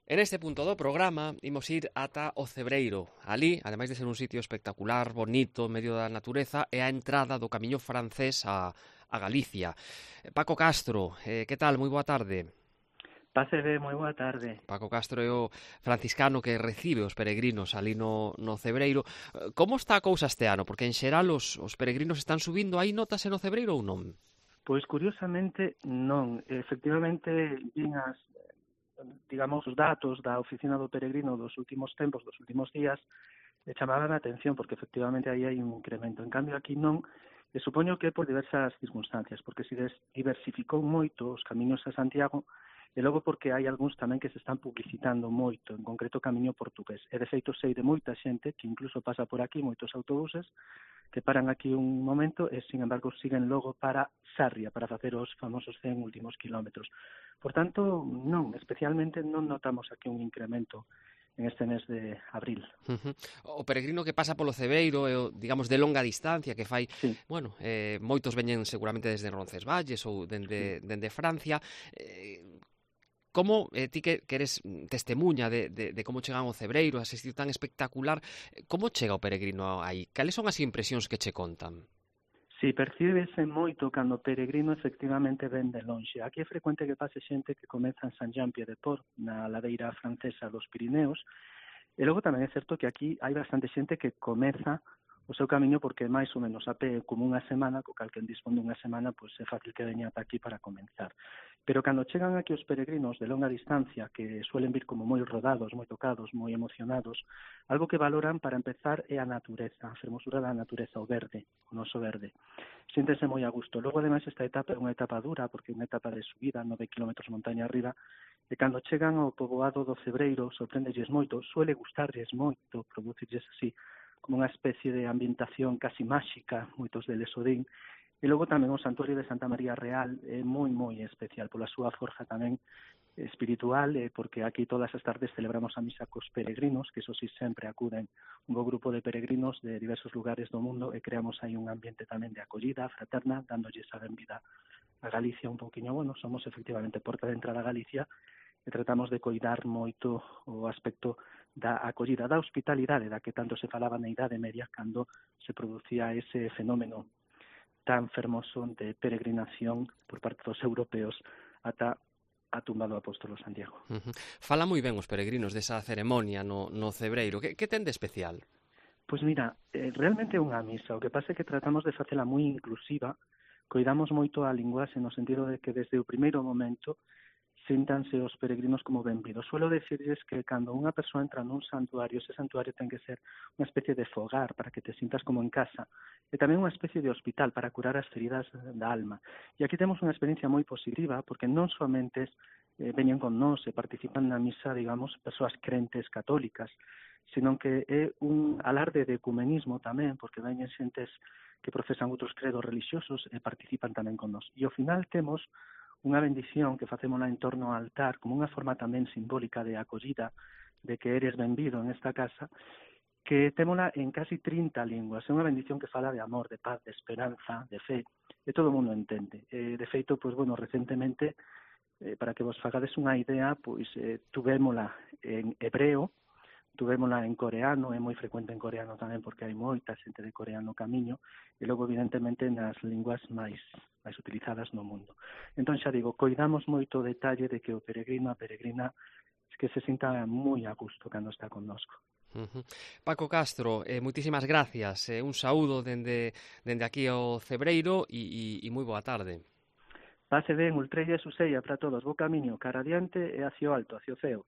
En este punto do programa imos ir ata o Cebreiro. Ali, ademais de ser un sitio espectacular, bonito, en medio da natureza, é a entrada do camiño francés a Galicia. Paco Castro, que tal? Moi boa tarde. Pásebe, moi boa tarde. Paco Castro é o franciscano que recibe os peregrinos ali no Cebreiro. Como está a cousa este ano? Porque en xeral os peregrinos están subindo, aí notase no Cebreiro ou non? Pois curiosamente non. Efectivamente, vin digamos, os datos da Oficina do Peregrino dos últimos tempos, dos últimos días, chamaban a atención porque efectivamente aí hai un incremento. En cambio aquí non, e supoño que por diversas circunstancias, porque se diversificou moito os camiños a Santiago, e logo porque hai algúns tamén que se están publicitando moito, en concreto o camiño portugués. E de feito sei de moita xente que incluso pasa por aquí, moitos autobuses, que paran aquí un momento e, sin embargo, siguen logo para Sarria, para facer os famosos 100 últimos kilómetros. Por tanto, non, especialmente non notamos aquí un incremento en este mes de abril. O peregrino que pasa polo Cebreiro é o, digamos, de longa distancia, que fai, Sí. bueno, moitos veñen seguramente desde Roncesvalles ou dende Francia. Como ti que eres testemunha de como chegan ao Cebreiro, a ese sitio tan espectacular, como chega o peregrino aí? Cales son as impresións que che contan? Sí, percíbese moito cando o peregrino efectivamente ven de lonxe. Aquí é frecuente que pase xente que comeza en Saint-Jean-Pied-de-Port, na ladeira francesa dos Pirineos, e logo tamén é certo que aquí hai bastante xente que comeza o seu camiño porque máis ou menos a pé como unha semana, co cal que dispón dunha semana, pois é fácil que veña ata aquí para comenzar. Pero cando chegan aquí os peregrinos de longa distancia, que suelen vir como moi rodados, moi tocados, moi emocionados, algo que valoran para empezar é a natureza, a fermosura da natureza, o verde, o noso verde. Siéntense moi a gusto. Logo, ademais, esta etapa é unha etapa dura, porque é unha etapa de subida, 9 kilómetros montaña arriba, e cando chegan ao poboado do Cebreiro, sorprendelles moito, suele gustarlles moito, producirlles así, como unha especie de ambientación casi máxica, moitos deles o din, e logo tamén o Santuario de Santa María Real é moi, moi especial, pola súa forja tamén espiritual, porque aquí todas as tardes celebramos a misa cos peregrinos, que eso sí sempre acuden un bo grupo de peregrinos de diversos lugares do mundo e creamos aí un ambiente tamén de acollida fraterna, dándolles a benvida a Galicia un pouquiño. Bueno, somos efectivamente porta de entrada a Galicia e tratamos de coidar moito o aspecto da acollida, da hospitalidade, da que tanto se falaba na Idade Media cando se producía ese fenómeno tan fermoso de peregrinación por parte dos europeos ata a tumba do apóstolo Santiago. Fala moi ben os peregrinos desa ceremonia no Cebreiro. Que ten de especial? Pois mira, realmente é unha misa. O que pasa é que tratamos de facela moi inclusiva, coidamos moito a linguaxe no sentido de que desde o primeiro momento síntanse os peregrinos como benvidos. Suelo decirles que cando unha persoa entra nun santuario, ese santuario ten que ser unha especie de fogar para que te sintas como en casa, e tamén unha especie de hospital para curar as feridas da alma. E aquí temos unha experiencia moi positiva, porque non somente veñen con nós e participan na misa, digamos, persoas crentes católicas, sino que é un alarde de ecumenismo tamén, porque veñen xentes que profesan outros credos religiosos e participan tamén con nós. E ao final temos unha bendición que facémola en torno ao altar como unha forma tamén simbólica de acollida, de que eres benvido en esta casa, que témola en casi 30 linguas. É unha bendición que fala de amor, de paz, de esperanza, de fe, e todo o mundo entende. De feito, pois, bueno, recentemente, para que vos fagades unha idea, pois tuvémola en hebreo, tuvémola en coreano, é moi frecuente en coreano tamén porque hai moita xente de Corea no camiño, e logo evidentemente nas linguas máis utilizadas no mundo. Entón xa digo, coidamos moito o detalle de que o peregrino, a peregrina, que se sinta moi a gusto cando está connosco. Paco Castro, moitísimas gracias, un saúdo dende aquí ao Cebreiro e moi boa tarde. Pase ben, ultrella e suseia para todos, bo camiño, cara adiante e hacia o alto, hacia o ceo.